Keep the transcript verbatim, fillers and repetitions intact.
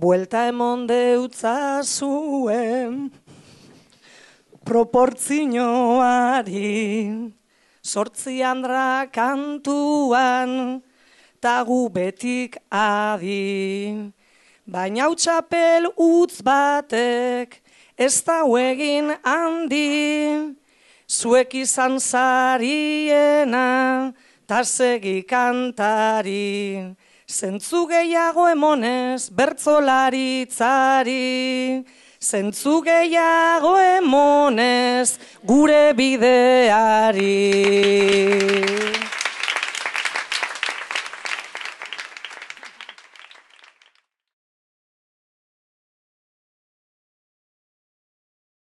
buelta emon deutza zuen proportzioari, sortzi andra kantuan, tagu betik adi. Baina utxapel utz batek, ez da egin handi, zuek izan zariena, ta segi kantari. Zentzu gehiago emonez, bertzolaritzari, zentzu gehiago emonez, gure bideari.